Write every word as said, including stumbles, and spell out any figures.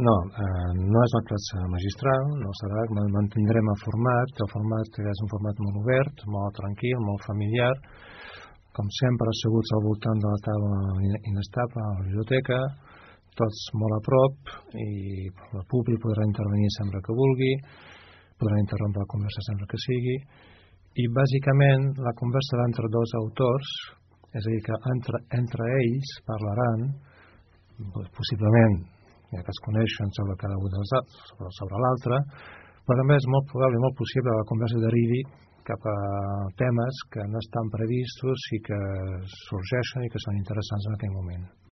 No, eh, no és la classe magistral, no serà, mantindrem el format, el format és un format molt obert, molt tranquil, molt familiar, com sempre asseguts al voltant de la taula inestable a la biblioteca, tots molt a prop, i el públic podrà intervenir sempre que vulgui, podrà interrompre la conversa sempre que sigui, i bàsicament la conversa serà entre dos autors, és a dir, que entre, entre ells parlaran, possiblement, ja que es coneixen sobre cada un dels altres, sobre, sobre l'altre, però també és molt probable i molt possible que la conversa derivi cap a temes que no estan previstos i que sorgeixen i que són interessants en aquell moment.